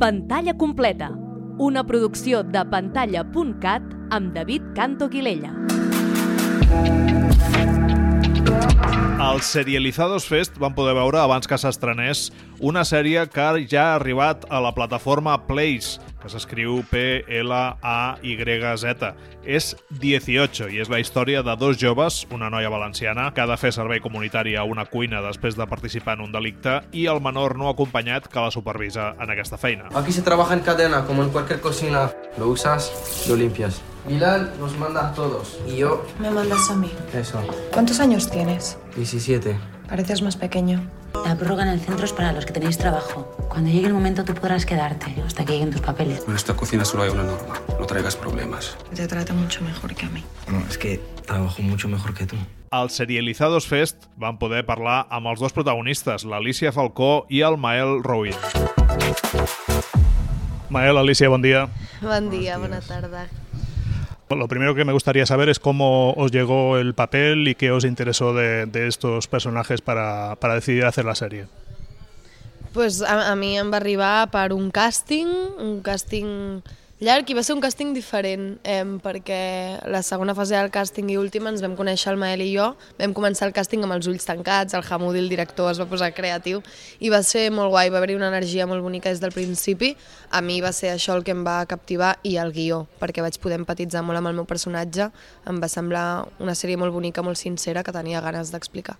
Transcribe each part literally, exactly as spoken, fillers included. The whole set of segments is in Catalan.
Pantalla completa, una producció de pantalla punt cat amb David Canto Quilella. Al Serializados Fest vam poder veure, abans que s'estrenés, una sèrie que ja ha arribat a la plataforma Place, que s'escriu P L A Y Z. És dieciocho i és la història de dos joves, una noia valenciana que ha de fer servei comunitari a una cuina després de participar en un delicte, i el menor no acompanyat que la supervisa en aquesta feina. Aquí se trabaja en cadena, como en cualquier cocina. Lo usas, lo limpias. Milán nos manda a todos y yo... Me mandas a mí. Eso. ¿Cuántos años tienes? diecisiete. Pareces más pequeño. La prórroga en el centro es para los que tenéis trabajo. Cuando llegue el momento tú podrás quedarte hasta que lleguen tus papeles. En esta cocina solo hay una norma. No traigas problemas. Te trata mucho mejor que a mí. No, es que trabajo mucho mejor que tú. Al Serializados Fest vam poder parlar amb els dos protagonistes, l'Alicia Falcó i el Mael Rouit. Mael, Alicia, bon dia. Buen día, buena tarde. Lo primero que me gustaría saber es cómo os llegó el papel y qué os interesó de, de estos personajes para, para decidir hacer la serie. Pues a, a mi em va arribar per un càsting, un càsting llarg, i va ser un càsting diferent, eh, perquè la segona fase del càsting i última ens vam conèixer el Mael i jo, vam començar el càsting amb els ulls tancats, el Hamoudi, el director, es va posar creatiu, i va ser molt guai, va haver-hi una energia molt bonica des del principi. A mi va ser això el que em va captivar, i el guió, perquè vaig poder empatitzar molt amb el meu personatge, em va semblar una sèrie molt bonica, molt sincera, que tenia ganes d'explicar.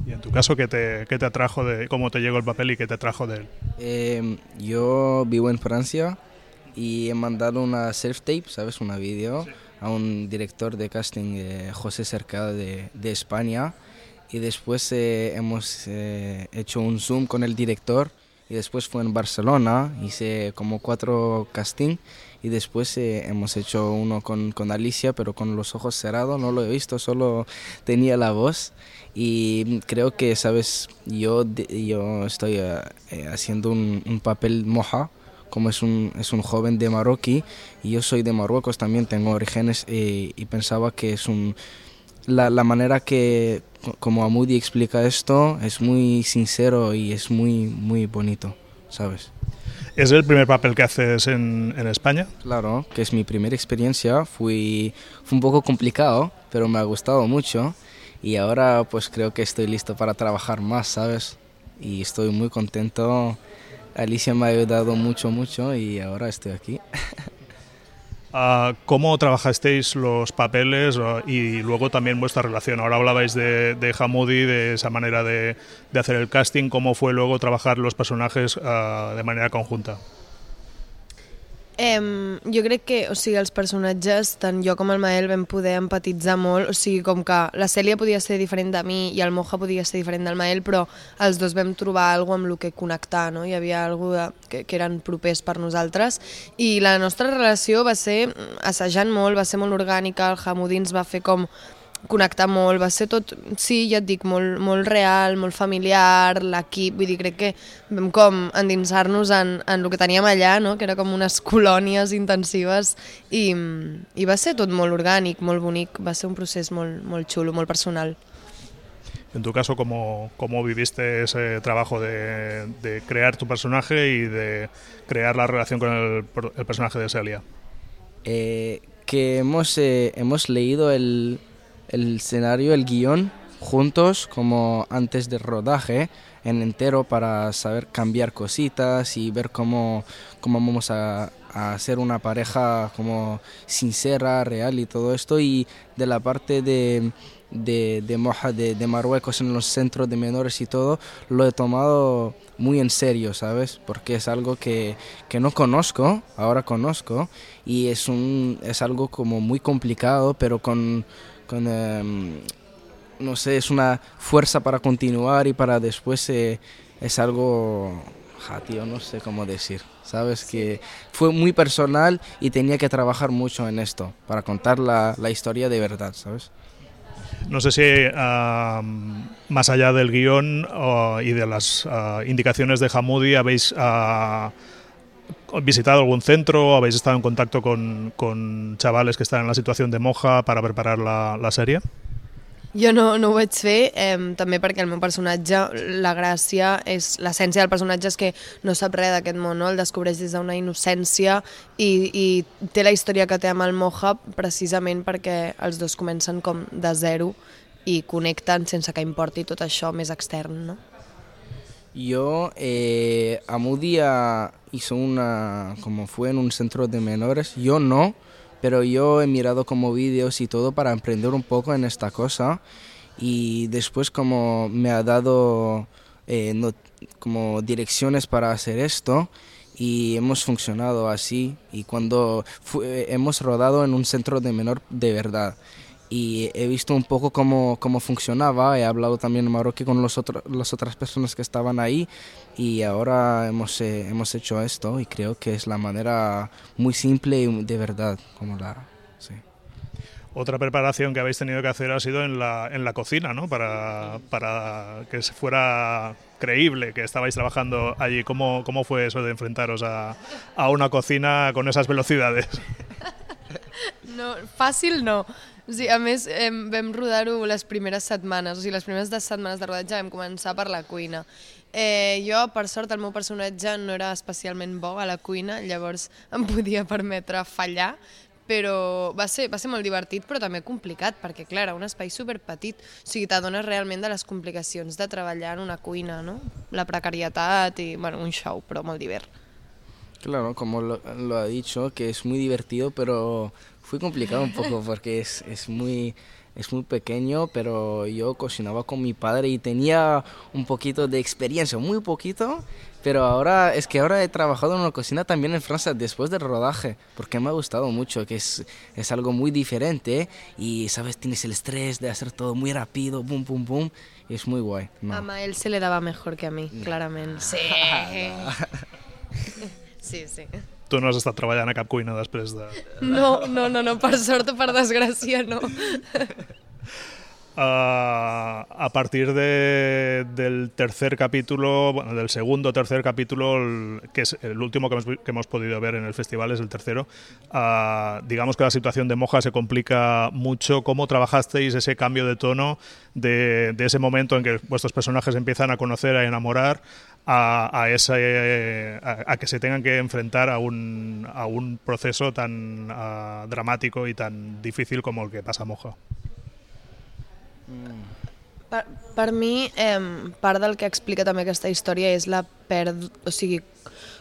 Y en tu caso, ¿qué te, qué te atrajo de cómo te llegó el papel y qué te atrajo de él? Eh, yo vivo en Francia y he mandado una self-tape, ¿sabes? Una vídeo sí. a un director de casting, eh, José Cercado de, de España, y después eh, hemos eh, hecho un Zoom con el director, y después fue en Barcelona, hice como cuatro casting, y después eh, hemos hecho uno con, con Alicia, pero con los ojos cerrados, no lo he visto, solo tenía la voz. Y creo que, ¿sabes? Yo, yo estoy eh, haciendo un, un papel moja, como es un, es un joven de Marroquí, y yo soy de Marruecos también, tengo orígenes, eh, y pensaba que es un... La, la manera que, como Hamoudi explica esto, es muy sincero y es muy, muy bonito, ¿sabes? ¿Es el primer papel que haces en, en España? Claro, que es mi primera experiencia, fui, fue un poco complicado, pero me ha gustado mucho, y ahora pues creo que estoy listo para trabajar más, ¿sabes? Y estoy muy contento. Alicia me ha ayudado mucho, mucho, y ahora estoy aquí. Uh, ¿Cómo trabajasteis los papeles uh, y luego también vuestra relación? Ahora hablabais de, de Hamoudi, de esa manera de, de hacer el casting. ¿Cómo fue luego trabajar los personajes uh, de manera conjunta? Eh, jo crec que, o sigui, els personatges, tant jo com el Mael, vam poder empatitzar molt, o sigui, com que la Cèlia podia ser diferent de mi i el Moja podia ser diferent del Mael, però els dos vam trobar alguna cosa amb el que connectar, no? Hi havia alguna cosa que, que eren propers per nosaltres, i la nostra relació va ser assajant molt, va ser molt orgànica, el Hamoudi ens va fer com connectar molt, va ser tot, sí, ja et dic, molt, molt real, molt familiar, l'equip, vull dir, crec que vam com endinsar-nos en, en el que teníem allà, no? Que era com unes colònies intensives, i, i va ser tot molt orgànic, molt bonic, va ser un procés molt, molt xulo, molt personal. En tu caso, ¿cómo, cómo viviste ese trabajo de, de crear tu personaje y de crear la relación con el, el personaje de Celia? Eh, que hemos, eh, hemos leído el... el escenario, el guión, juntos, como antes del rodaje, en entero, para saber cambiar cositas y ver cómo, cómo vamos a, a hacer una pareja como sincera, real y todo esto. Y de la parte de, de, de Moja, de, de Marruecos, en los centros de menores y todo, lo he tomado muy en serio, ¿sabes? Porque es algo que, que no conozco, ahora conozco, y es, un, es algo como muy complicado, pero con... Con, eh, no sé, es una fuerza para continuar y para después eh, es algo, ja, tío, no sé cómo decir, ¿sabes? Que fue muy personal y tenía que trabajar mucho en esto para contar la, la historia de verdad, ¿sabes? No sé si uh, más allá del guión uh, y de las uh, indicaciones de Hamoudi habéis... Uh, ¿visitado algún centro? ¿Habéis estado en contacto con, con chavales que están en la situación de Moja para preparar la, la serie? Jo no, no ho vaig fer, eh, també perquè el meu personatge, la gràcia, és l'essència del personatge és que no sap res d'aquest món, no? El descobreix des d'una innocència i, i té la història que té amb el Moja precisament perquè els dos comencen com de zero i connecten sense que importi tot això més extern, ¿no? Yo eh, a Mudia hizo una, como fue en un centro de menores, yo no, pero yo he mirado como vídeos y todo para emprender un poco en esta cosa y después como me ha dado eh, no, como direcciones para hacer esto y hemos funcionado así y cuando fue, hemos rodado en un centro de menor de verdad. Y he visto un poco cómo, cómo funcionaba, he hablado también en Marroquí con los otro, las otras personas que estaban ahí y ahora hemos, eh, hemos hecho esto y creo que es la manera muy simple y de verdad. Como la, sí. Otra preparación que habéis tenido que hacer ha sido en la, en la cocina, ¿no? Para, para que se fuera creíble que estabais trabajando allí. ¿Cómo, cómo fue eso de enfrentaros a, a una cocina con esas velocidades? No, fàcil no. O sigui, a més, eh, vam rodar-ho les primeres setmanes, o sigui, les primeres dues setmanes de rodatge vam començar per la cuina. Eh, jo, per sort, el meu personatge no era especialment bo a la cuina, llavors em podia permetre fallar, però va ser, va ser molt divertit, però també complicat, perquè, clar, era un espai superpetit, o sigui, t'adones realment de les complicacions de treballar en una cuina, no? La precarietat i, bueno, un show, però molt divert. Claro, como lo, lo ha dicho, que es muy divertido, pero fue complicado un poco porque es, es, muy, es muy pequeño, pero yo cocinaba con mi padre y tenía un poquito de experiencia, muy poquito, pero ahora es que ahora he trabajado en una cocina también en Francia después del rodaje, porque me ha gustado mucho, que es, es algo muy diferente y, ¿sabes? Tienes el estrés de hacer todo muy rápido, pum, pum, pum, y es muy guay. No. A Mael se le daba mejor que a mí, claramente. Sí. Sí, sí. Tu no has estat treballant a cap cuina després de... No, no, no, no, per sort o per desgràcia, no. Uh, a partir de, del tercer capítulo, bueno, del segundo o tercer capítulo, el, que es el último que hemos, que hemos podido ver en el festival, es el tercero, uh, digamos que la situación de Moja se complica mucho. ¿Cómo trabajasteis ese cambio de tono de, de ese momento en que vuestros personajes empiezan a conocer, a enamorar, a, a, ese, a, a que se tengan que enfrentar a un, a un proceso tan uh, dramático y tan difícil como el que pasa a Moja? Per, per mi, eh, part del que explica també aquesta història és la perd... o sigui,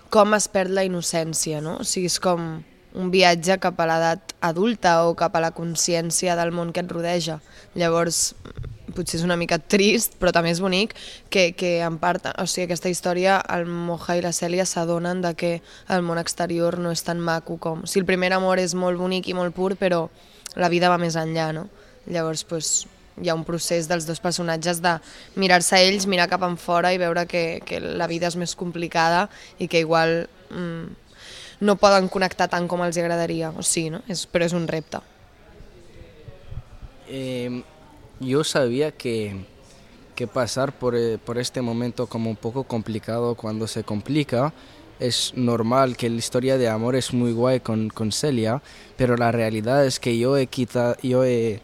com es perd la innocència, no? O sigui, és com un viatge cap a l'edat adulta o cap a la consciència del món que et rodeja. Llavors, potser és una mica trist, però també és bonic que, que en part, o sigui, aquesta història, el Moja i la Cèlia s'adonen de que el món exterior no és tan maco com... O sigui, el primer amor és molt bonic i molt pur, però la vida va més enllà, no? Llavors, doncs, hi ha un procés dels dos personatges de mirar-se a ells, mirar cap enfora i veure que, que la vida és més complicada i que igual mm, no poden connectar tant com els agradaria, o sigui, ¿no? Es, però és un repte. Eh, yo sabía que, que pasar por, por este momento como un poco complicado cuando se complica es normal, que la historia de amor es muy guay con, con Celia, pero la realidad es que yo he quitado, yo he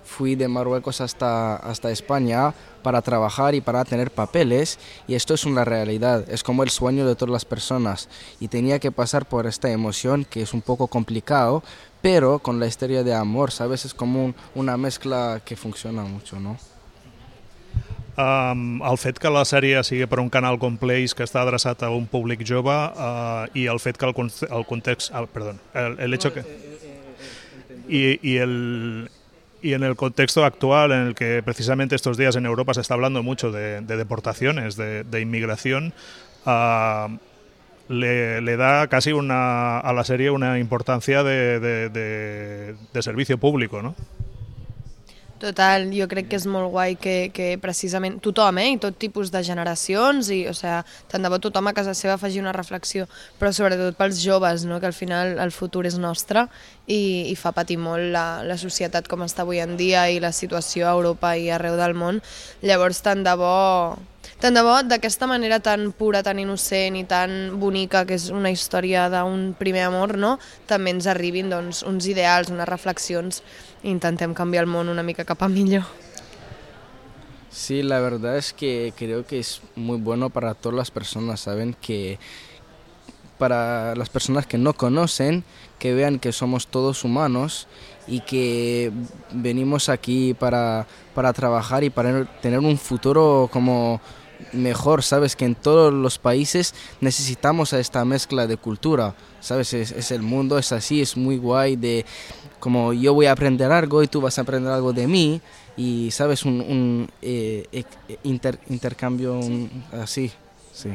fui de Marruecos hasta, hasta España para trabajar y para tener papeles y esto es una realidad, es como el sueño de todas las personas y tenía que pasar por esta emoción que es un poco complicado, pero con la historia de amor, ¿sabes? Es como un, una mezcla que funciona mucho, ¿no? Um, el fet que la sèrie sigui per un canal com Place que està adreçat a un públic jove uh, i el fet que el, el context... Ah, perdó, el, el hecho que... I, i el... Y en el contexto actual, en el que precisamente estos días en Europa se está hablando mucho de, de deportaciones, de, de inmigración, uh, le, le da casi una, a la serie una importancia de, de, de, de servicio público, ¿no? Total, jo crec que és molt guai que, que precisament tothom, eh, i tot tipus de generacions, i, o sigui, tant de bo tothom a casa seva faci una reflexió, però sobretot pels joves, no?, que al final el futur és nostre i, i fa patir molt la, la societat com està avui en dia i la situació a Europa i arreu del món. Llavors, tant de bo... Tant de bo, d'aquesta manera tan pura, tan innocent i tan bonica, que és una història d'un primer amor, no?, també ens arribin doncs, uns ideals, unes reflexions, i intentem canviar el món una mica cap a millor. Sí, la verdad es que creo que es muy bueno para todas las personas, ¿saben? Que para las personas que no conocen, que vean que somos todos humanos y que venimos aquí para, para trabajar y para tener un futuro como mejor, ¿sabes? Que en todos los países necesitamos a esta mezcla de cultura, ¿sabes? Es, es el mundo, es así, es muy guay de como yo voy a aprender algo y tú vas a aprender algo de mí y, ¿sabes? Un, un eh, inter, intercambio un, así, sí.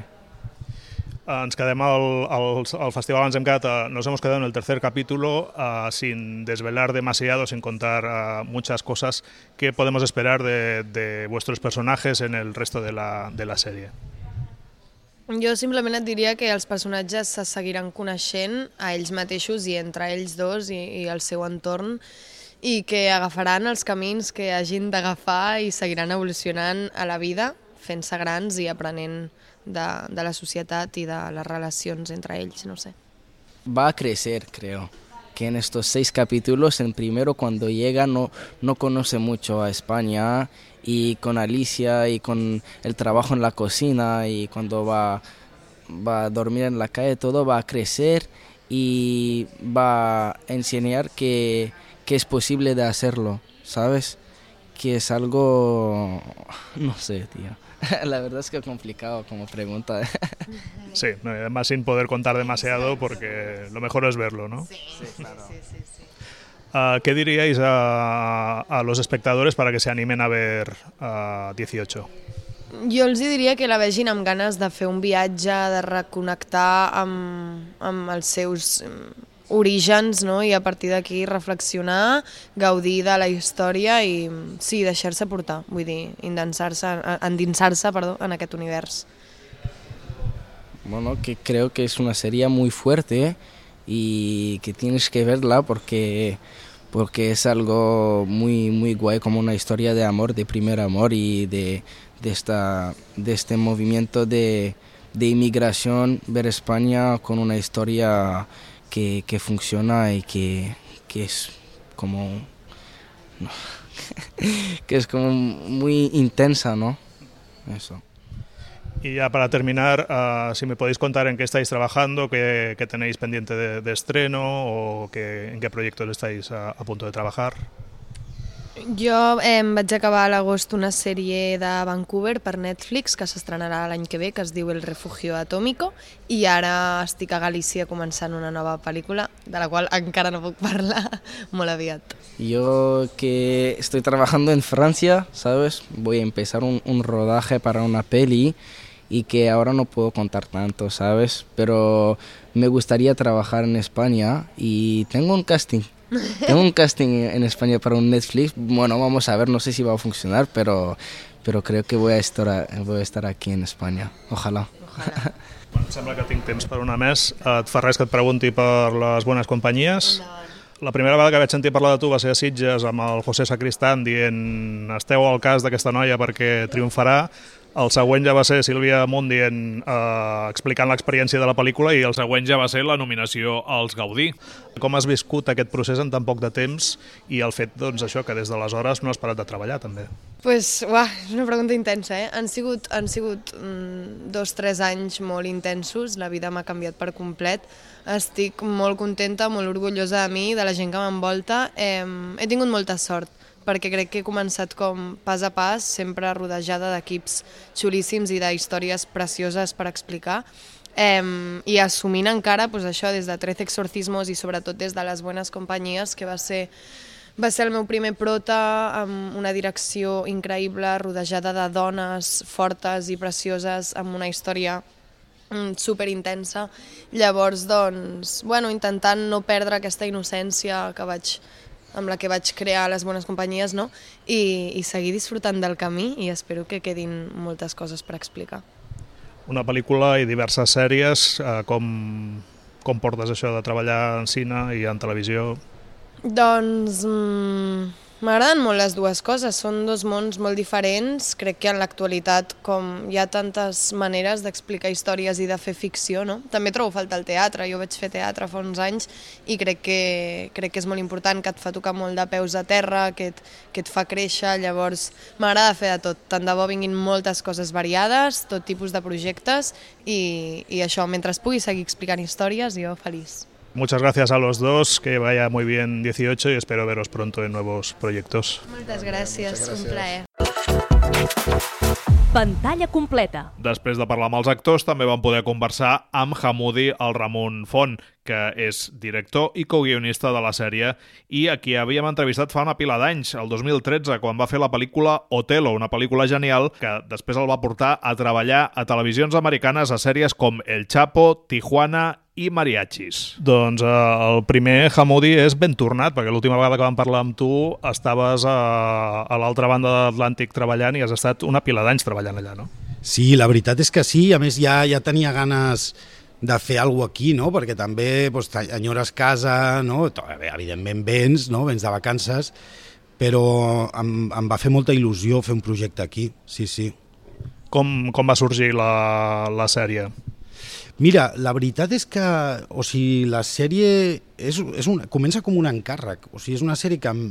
Ens quedem al, al, al festival, ens hem quedat, a, nos hemos quedado en el tercer capítulo uh, sin desvelar demasiado, sin contar uh, muchas cosas. ¿Qué podemos esperar de, de vuestros personajes en el resto de la, de la serie? Jo simplement et diria que els personatges se seguiran coneixent a ells mateixos i entre ells dos i, i el seu entorn i que agafaran els camins que hagin d'agafar i seguiran evolucionant a la vida, fent-se grans i aprenent de, de la societat i de les relacions entre ells, no sé. Va a crecer, creo, que en estos seis capítulos, en primero cuando llega no, no conoce mucho a España y con Alicia y con el trabajo en la cocina y cuando va, va a dormir en la calle, todo va a crecer y va a enseñar que, que es posible de hacerlo, ¿sabes? Que es algo, no sé, tío. La verdad es que es complicado como pregunta. Sí, además sin poder contar demasiado porque lo mejor es verlo, ¿no? Sí, claro. Sí, sí, sí. Uh, ¿Qué diríais a, a los espectadores para que se animen a ver uh, dieciocho? Jo els diria que la vegin amb ganes de fer un viatge, de reconnectar amb, amb els seus orígens, no? I a partir d'aquí reflexionar, gaudir de la història i sí, deixar-se portar, vull dir, endinsar-se endinsar-se, perdó, en aquest univers. Bueno, que creo que es una serie muy fuerte y que tienes que verla porque, porque es algo muy, muy guay, como una historia de amor, de primer amor y de, de, esta, de este movimiento de, de inmigración, ver España con una historia que, que funciona y que, que es como no, que es como muy intensa, ¿no? Eso. Y ya para terminar, uh, si me podéis contar en qué estáis trabajando, qué, qué tenéis pendiente de, de estreno o qué, en qué proyectos estáis a, a punto de trabajar. Jo eh, vaig acabar a l'agost una sèrie de Vancouver per Netflix que s'estrenarà l'any que ve, que es diu El Refugio Atómico, i ara estic a Galícia començant una nova pel·lícula, de la qual encara no puc parlar molt aviat. Yo que estoy trabajando en Francia, ¿sabes? Voy a empezar un, un rodaje para una peli y que ahora no puedo contar tanto, ¿sabes? Pero me gustaría trabajar en España y tengo un casting. Tengo un casting en España para un Netflix. Bueno, vamos a ver, no sé si va a funcionar, pero, pero creo que voy a estar, voy a estar aquí en España. Ojalá. Ojalá. Bueno, em sembla que tinc temps per una més. Et fa res que et pregunti per les bones companyies? La primera vegada que vaig sentir parlar de tu va ser a Sitges amb el José Sacristán dient esteu al cas d'aquesta noia perquè triomfarà. El següent ja va ser Sílvia Munt dient, eh, explicant l'experiència de la pel·lícula i el següent ja va ser la nominació als Gaudí. Com has viscut aquest procés en tan poc de temps i el fet doncs, això que des d'aleshores no has parat de treballar també? Pues, uah, és una pregunta intensa, eh? Han sigut, han sigut mm, dos, tres anys molt intensos, la vida m'ha canviat per complet. Estic molt contenta, molt orgullosa de mi, de la gent que m'envolta. Eh, he tingut molta sort, perquè crec que he començat com pas a pas, sempre rodejada d'equips xulíssims i d'històries precioses per explicar, eh, i assumint encara pues, això des de Trece Exorcismos i sobretot des de Les Buenas Companyies, que va ser, va ser el meu primer prota amb una direcció increïble, rodejada de dones fortes i precioses, amb una història superintensa. Llavors, doncs, bueno, intentant no perdre aquesta innocència que vaig amb la que vaig crear Les Bones Companyies, no? I, i seguir disfrutant del camí i espero que quedin moltes coses per explicar. Una pel·lícula i diverses sèries, eh, com, com portes això de treballar en cine i en televisió? Doncs mm, M'agraden molt les dues coses, són dos mons molt diferents. Crec que en l'actualitat, com hi ha tantes maneres d'explicar històries i de fer ficció, no? També trobo falta el teatre, jo vaig fer teatre fa uns anys i crec que, crec que és molt important, que et fa tocar molt de peus a terra, que et, que et fa créixer, llavors m'agrada fer de tot. Tant de bo vinguin moltes coses variades, tot tipus de projectes i, i això, mentre es pugui seguir explicant històries, jo feliç. Muchas gracias a los dos, que vaya muy bien dieciocho y espero veros pronto en nuevos proyectos. Moltes gràcies, un plaer. Pantalla completa. Després de parlar amb els actors, també vam poder conversar amb Hamoudi el Ramon Font, que és director i coguionista de la sèrie i a qui havíem entrevistat fa una pila d'anys, el dos mil tretze, quan va fer la pel·lícula Otelo, una pel·lícula genial que després el va portar a treballar a televisions americanes a sèries com El Chapo, Tijuana i Mariachis. Doncs eh, el primer, Hamoudi, és ben tornat, perquè l'última vegada que vam parlar amb tu estaves a, a l'altra banda de l'Atlàntic treballant i has estat una pila d'anys treballant allà, no? Sí, la veritat és que sí, a més ja, ja tenia ganes de fer alguna cosa aquí, no? Perquè també doncs, enyores casa, no? Evidentment vens, no? Vens de vacances, però em, em va fer molta il·lusió fer un projecte aquí, sí, sí. Com, com va sorgir la, la sèrie? Mira, la veritat és que o sigui, la sèrie és, és una, comença com un encàrrec, o sigui, és una sèrie que, em,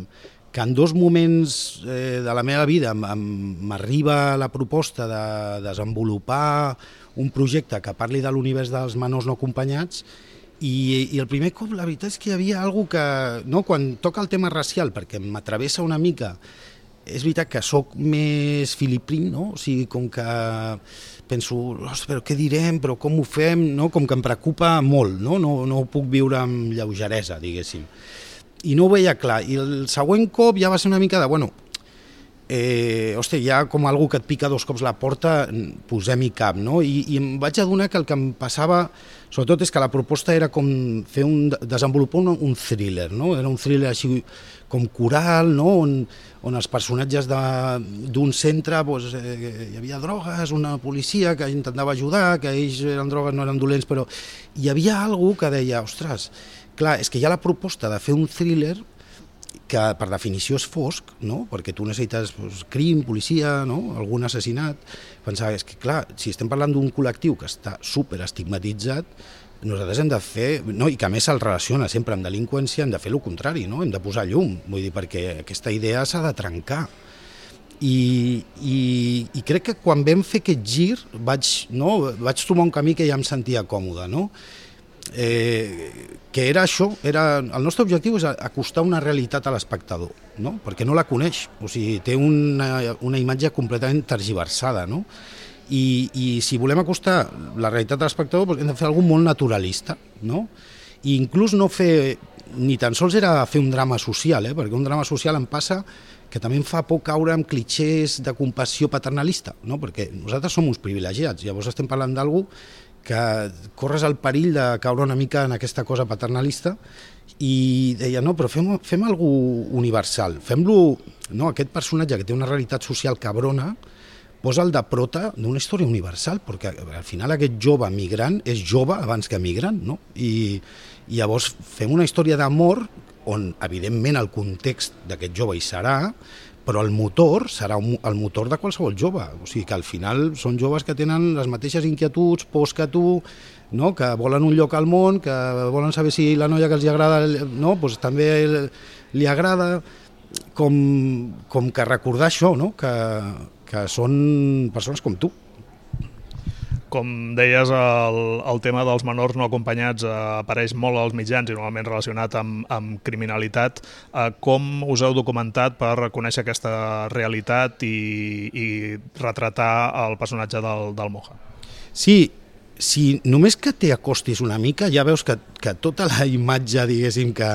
que en dos moments eh, de la meva vida m'arriba la proposta de desenvolupar un projecte que parli de l'univers dels menors no acompanyats i, i el primer cop la veritat és que hi havia alguna que, no, quan toca el tema racial, perquè m'atravessa una mica, és veritat que sóc més filiprín, no? O sigui, com que penso, però què direm, però com ho fem, no? Com que em preocupa molt, no? No, no ho puc viure amb lleugeresa, diguéssim. I no ho veia clar. I el següent cop ja va ser una mica de, bueno, eh, hosti, ja com algú que et pica dos cops la porta, posem-hi cap, no? I, i em vaig adonar que el que em passava, sobretot, és que la proposta era com fer un, desenvolupar un, un thriller, no? Era un thriller així com coral, no? on, on els personatges d'un centre doncs, eh, hi havia drogues, una policia que intentava ajudar, que ells eren drogues, no eren dolents, però hi havia algú que deia, ostres, clar, és que hi ha la proposta de fer un thriller que per definició és fosc, no? Perquè tu necessites doncs, crim, policia, no? Algun assassinat. Pensava, és que clar, si estem parlant d'un col·lectiu que està super estigmatitzat, nosaltres hem de fer, no, i que a més se'l relaciona sempre amb delinqüència, hem de fer el contrari, no? Hem de posar llum, vull dir, perquè aquesta idea s'ha de trencar. I, i, i crec que quan vam fer aquest gir vaig, no, vaig trobar un camí que ja em sentia còmode, no? Eh, que era això, era, el nostre objectiu és acostar una realitat a l'espectador, no? Perquè no la coneix, o sigui, té una, una imatge completament tergiversada, no? I, i si volem acostar la realitat a l'espectador doncs hem de fer alguna molt naturalista, no? I inclús no fer, ni tan sols era fer un drama social, eh? Perquè un drama social em passa que també em fa por caure en clitxers de compassió paternalista, no? Perquè nosaltres som uns privilegiats, llavors estem parlant d'algú que corres el perill de caure una mica en aquesta cosa paternalista i deia, no, però fem, fem alguna cosa universal, fem-lo, no, aquest personatge que té una realitat social cabrona, posa el de prota d'una història universal, perquè al final aquest jove migrant és jove abans que migrant, no? I, i llavors fem una història d'amor on, evidentment, el context d'aquest jove hi serà, però el motor serà un, el motor de qualsevol jove. O sigui que al final són joves que tenen les mateixes inquietuds, pors que tu, no? Que volen un lloc al món, que volen saber si la noia que els agrada, no? Pues també li agrada, com, com que recordar això, no? Que, que són persones com tu. Com deies, el, el tema dels menors no acompanyats eh, apareix molt als mitjans i normalment relacionat amb, amb criminalitat. Eh, com us heu documentat per conèixer aquesta realitat i, i retratar el personatge del, del Moja? Sí, si només que t'hi acostis una mica ja veus que, que tota la imatge, diguéssim, que,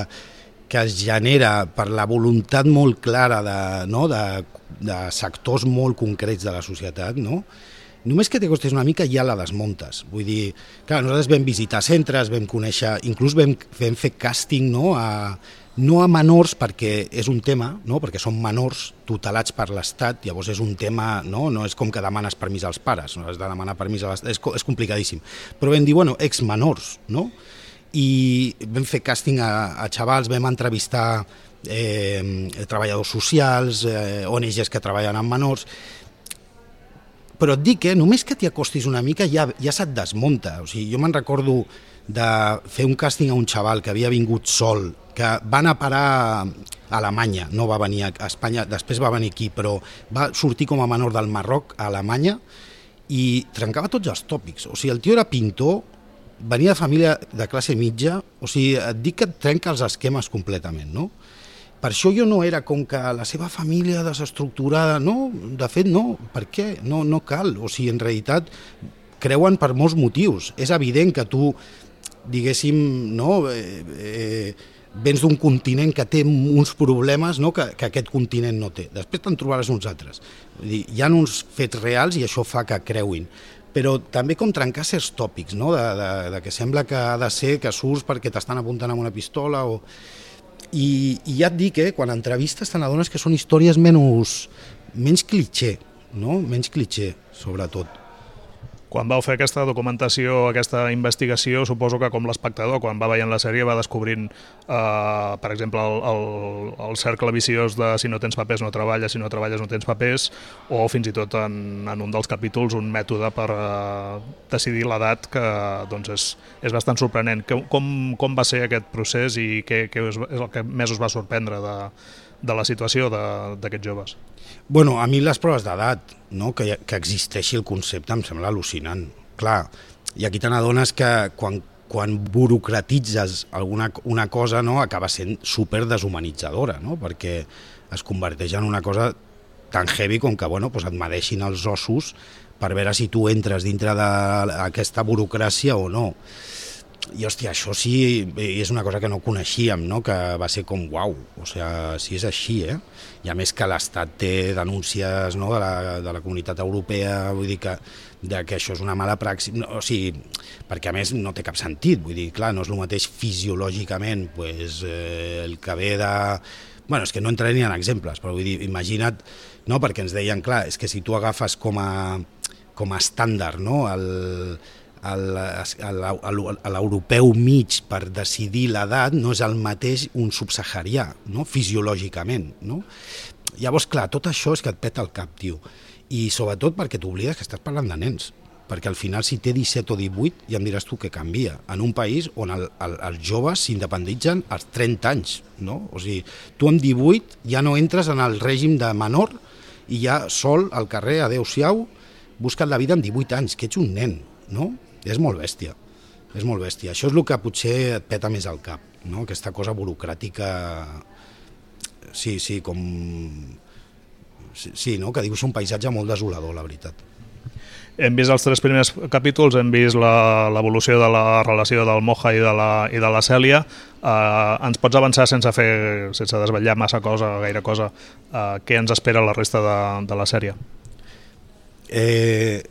que es genera per la voluntat molt clara de, no, de, de sectors molt concrets de la societat, no? Només que t'acostis una mica ja la desmuntes. Vull dir, clar, nosaltres vam visitar centres, vam conèixer, inclús vam, vam fer càsting, no, a, no a menors perquè és un tema, no, perquè són menors tutelats per l'Estat, llavors és un tema, no, no és com que demanes permís als pares, no has de demanar permís a l'Estat, és, és complicadíssim. Però vam dir, bueno, exmenors, no? I vam fer càsting a, a xavals, vam entrevistar eh, treballadors socials, eh, O N Ges que treballen amb menors, però et dic que eh, només que t'hi acostis una mica ja, ja se't desmunta. O sigui, jo me'n recordo de fer un càsting a un xaval que havia vingut sol, que va anar a parar a Alemanya, no va venir a Espanya, després va venir aquí, però va sortir com a menor del Marroc a Alemanya i trencava tots els tòpics. O sigui, el tio era pintor, venia de família de classe mitja, o sigui, et dic que et trenca els esquemes completament, no? Per això jo no era com que la seva família desestructurada, no, de fet no, per què? No, no cal, o sigui, en realitat creuen per molts motius. És evident que tu, diguéssim, no, eh, eh, vens d'un continent que té uns problemes, no, que, que aquest continent no té. Després te'n trobaràs uns altres. Vull dir, hi ha uns fets reals i això fa que creuin. Però també com trencar certs tòpics, no, de, de, de que sembla que ha de ser que surts perquè t'estan apuntant amb una pistola o... I, i ja et dic, eh, quan entrevistes te n'adones que són històries menys, menys cliché, no? Menys cliché, sobretot. Quan vau fer aquesta documentació, aquesta investigació, suposo que com l'espectador, quan va veient la sèrie, va descobrint, eh, per exemple, el, el, el cercle viciós de si no tens papers no treballes, si no treballes no tens papers, o fins i tot en, en un dels capítols un mètode per eh, decidir l'edat que doncs és, és bastant sorprenent. Com, com va ser aquest procés i què, què és el que més us va sorprendre de, de la situació d'aquests joves? Bueno, a mi les proves d'edat, no? que, que existeixi el concepte, em sembla al·lucinant. Clar, i aquí te n'adones que quan, quan burocratitzes alguna una cosa, no? acaba sent super deshumanitzadora, no? perquè es converteix en una cosa tan heavy com que bueno, pues et medeixin els ossos per veure si tu entres dintre d'aquesta burocràcia o no. I, hòstia, això sí, és una cosa que no coneixíem, no? que va ser com, uau, o sigui, si és així, eh? I a més que l'Estat té denúncies, no? de, la, de la comunitat europea, vull dir que, de que això és una mala praxi, no, o sigui, perquè a més no té cap sentit, vull dir, clar, no és el mateix fisiològicament, pues, eh, el que ve de... Bueno, és que no entraré ni en exemples, però vull dir, imagina't, no? perquè ens deien, clar, és que si tu agafes com a, com a estàndard, no? el... a l'europeu mig per decidir l'edat no és el mateix un subsaharià, no? fisiològicament. No? Llavors, clar, tot això és que et peta el cap, tio. I sobretot perquè t'oblides que estàs parlant de nens. Perquè al final, si té disset o divuit, ja em diràs tu què canvia. En un país on el, el, els joves s'independitzen als trenta anys. No? O sigui, tu amb divuit ja no entres en el règim de menor i ja sol al carrer, adeu-siau, busca't la vida amb divuit anys, que ets un nen. No? És molt bèstia, és molt bèstia. Això és el que potser et peta més al cap, no? Aquesta cosa burocràtica, sí, sí, com... Sí, sí, no? Que dibuixa un paisatge molt desolador, la veritat. Hem vist els tres primers capítols, hem vist l'evolució de la relació del Moja i de la, i de la Cèlia. Uh, ens pots avançar sense fer, sense desvetllar massa cosa, gaire cosa, uh, què ens espera la resta de, de la sèrie? Eh...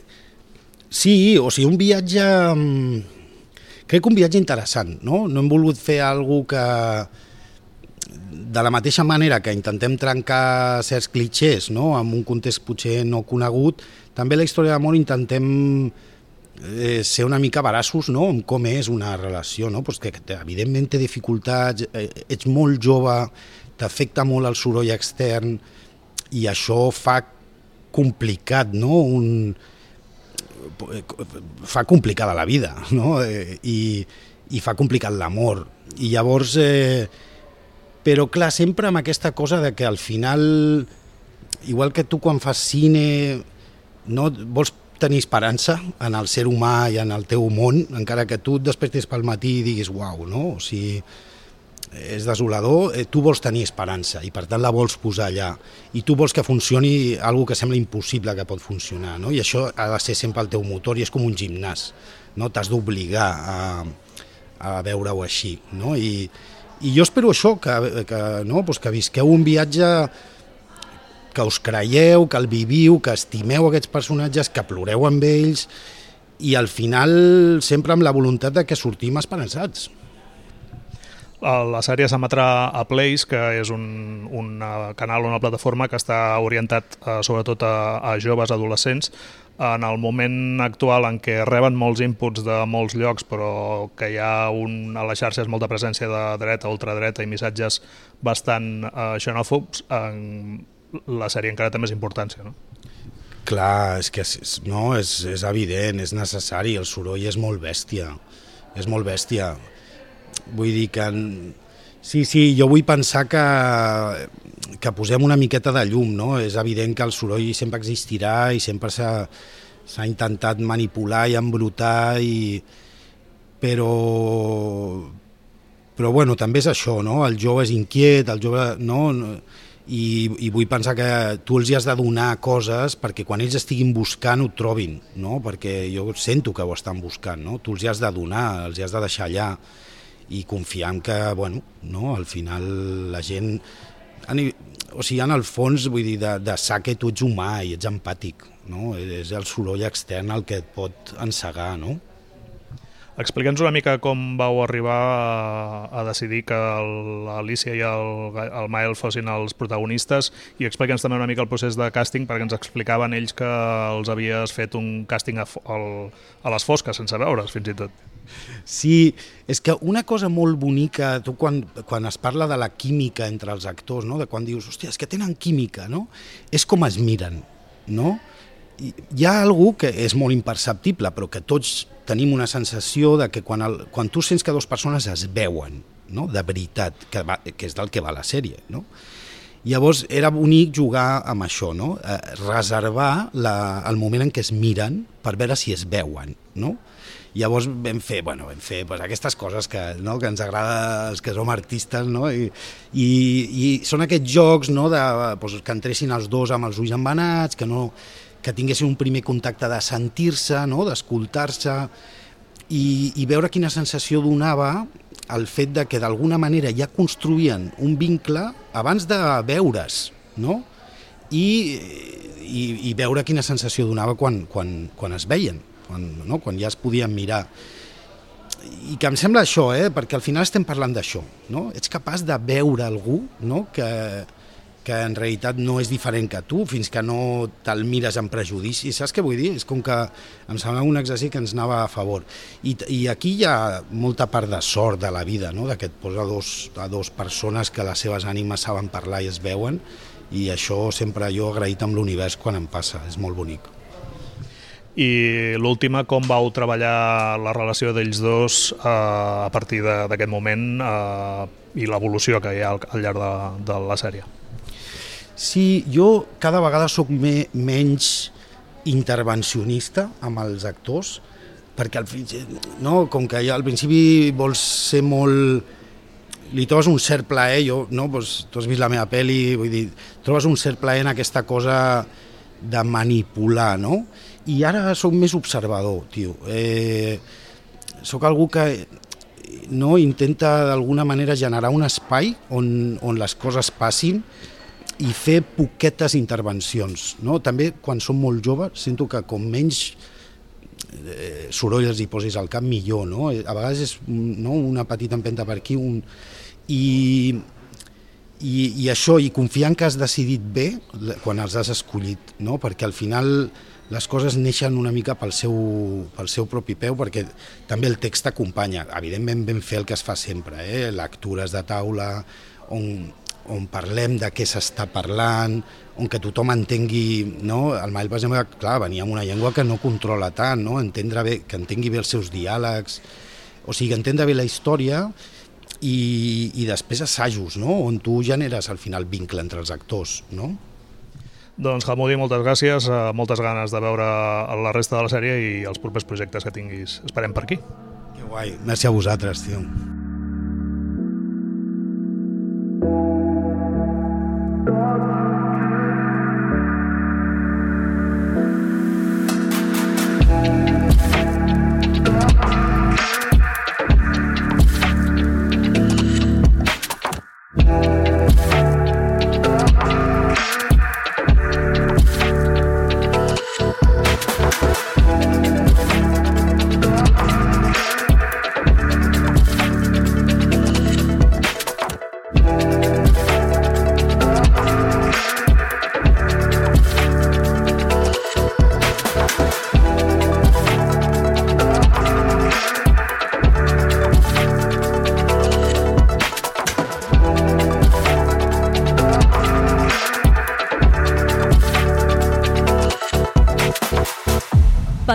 Sí, o sigui, un viatge... Crec que un viatge interessant, no? No hem volgut fer alguna que... De la mateixa manera que intentem trencar certs clichés, no? En un context potser no conegut, també la història d'amor intentem eh, ser una mica veraços, no? En com és una relació, no? Pues que evidentment té dificultats, eh, ets molt jove, t'afecta molt el soroll extern i això fa complicat, no? Un... fa complicada la vida, no? I, i fa complicat l'amor. I llavors, eh, però clar, sempre amb aquesta cosa de que al final, igual que tu quan fas cine, no vols tenir esperança en el ser humà i en el teu món, encara que tu et despertis pel matí i diguis uau, no? O sigui, és desolador, tu vols tenir esperança i per tant la vols posar allà i tu vols que funcioni algo que sembla impossible que pot funcionar, no? I això ha de ser sempre el teu motor i és com un gimnàs, no? T'has d'obligar a, a veure-ho així, no? I, i jo espero això, que, que, no? pues que visqueu un viatge, que us creieu, que el viviu, que estimeu aquests personatges, que ploreu amb ells i al final sempre amb la voluntat de que sortim esperançats. La sèrie s'emetrà a Place, que és un, un canal, una plataforma que està orientat eh, sobretot a, a joves adolescents. en el moment actual en què reben molts inputs de molts llocs, però que hi ha un, a les xarxes molta presència de dreta, ultradreta i missatges bastant eh, xenòfobs, en la sèrie encara té més importància, no? Clar, és que és, no, és, és evident, és necessari, el soroll és molt bèstia, és molt bèstia. Vull dir que... Sí, sí, jo vull pensar que, que posem una miqueta de llum, no? És evident que el soroll sempre existirà i sempre s'ha s'ha intentat manipular i embrutar, i... però... però bueno, també és això, no? El jove és inquiet, el jove... No? I, i vull pensar que tu els hi has de donar coses perquè quan ells estiguin buscant ho trobin, no? Perquè jo sento que ho estan buscant, no? Tu els hi has de donar, els hi has de deixar allà i confiar en que, bueno, no? Al final la gent... O sigui, en el fons, vull dir, de, de sa que tu ets humà i ets empàtic, no? És el soroll extern el que et pot encegar, no? Explica'ns una mica com vau arribar a, a decidir que l'Alícia i el, el Mael fossin els protagonistes, i explica'ns també una mica el procés de càsting, perquè ens explicaven ells que els havies fet un càsting a, al, a les fosques, sense veure's, fins i tot. Sí, és que una cosa molt bonica, tu quan, quan es parla de la química entre els actors, no? De quan dius, hòstia, és que tenen química, no? És com es miren, no? Hi ha algú que és molt imperceptible, però que tots tenim una sensació de que quan, el, quan tu sents que dues persones es veuen, no? De veritat, que, va, que és del que va la sèrie, no? Llavors era bonic jugar amb això, no? Eh, reservar la, el moment en què es miren per veure si es veuen, no? Llavors vam fer, bueno, vam fer pues, aquestes coses que, no? Que ens agrada els que som artistes, no? I, i, i són aquests jocs, no? De, pues, que entressin els dos amb els ulls embenats, que no... que tinguessin un primer contacte de sentir-se, no? D'escoltar-se, i, i veure quina sensació donava el fet de que d'alguna manera ja construïen un vincle abans de veure's, no? I, i, i veure quina sensació donava quan, quan, quan es veien, quan, no? Quan ja es podien mirar. I que em sembla això, eh? Perquè al final estem parlant d'això, no? Ets capaç de veure algú, no? que... que en realitat no és diferent que tu, fins que no te'l mires amb prejudici. Saps què vull dir? És com que em sembla un exercici que ens anava a favor. I, i aquí hi ha molta part de sort de la vida, no? De que et posa dos, a dos persones que les seves ànimes saben parlar i es veuen, i això sempre jo agraït amb l'univers quan em passa, és molt bonic. I l'última, com vau treballar la relació d'ells dos eh, a partir d'aquest moment eh, i l'evolució que hi ha al, al llarg de, de la sèrie? Sí, jo cada vegada sóc me, menys intervencionista amb els actors, perquè al, no, com que ja al principi vols ser molt... li trobes un cert plaer, jo, no, pues, tu has vist la meva pel·li, vull dir, trobes un cert plaer en aquesta cosa de manipular, no? I ara sóc més observador, tio. Eh, sóc algú que no intenta d'alguna manera generar un espai on, on les coses passin i fer poquetes intervencions, no? També quan som molt joves sento que com menys eh, soroll els hi posis al cap millor, no? A vegades és, no, una petita empenta per aquí, un... I, i, i això, i confiar en que has decidit bé quan els has escollit, no? Perquè al final les coses neixen una mica pel seu, pel seu propi peu, perquè també el text acompanya. Evidentment vam fer el que es fa sempre, eh? Lectures de taula, on on parlem de què s'està parlant, on que tothom entengui, no? El Mael, per exemple, clar, venia amb una llengua que no controla tant, no? Entendre bé, que entengui bé els seus diàlegs, o sigui, entendre bé la història, i, i després assajos, no? On tu generes al final vincle entre els actors, no? Doncs, Hammoudi, moltes gràcies, moltes ganes de veure la resta de la sèrie i els propers projectes que tinguis. Esperem per aquí. Que guai, merci a vosaltres, tio.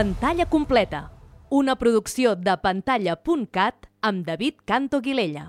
Pantalla completa, una producció de pantalla punt cat amb David Canto Guilella.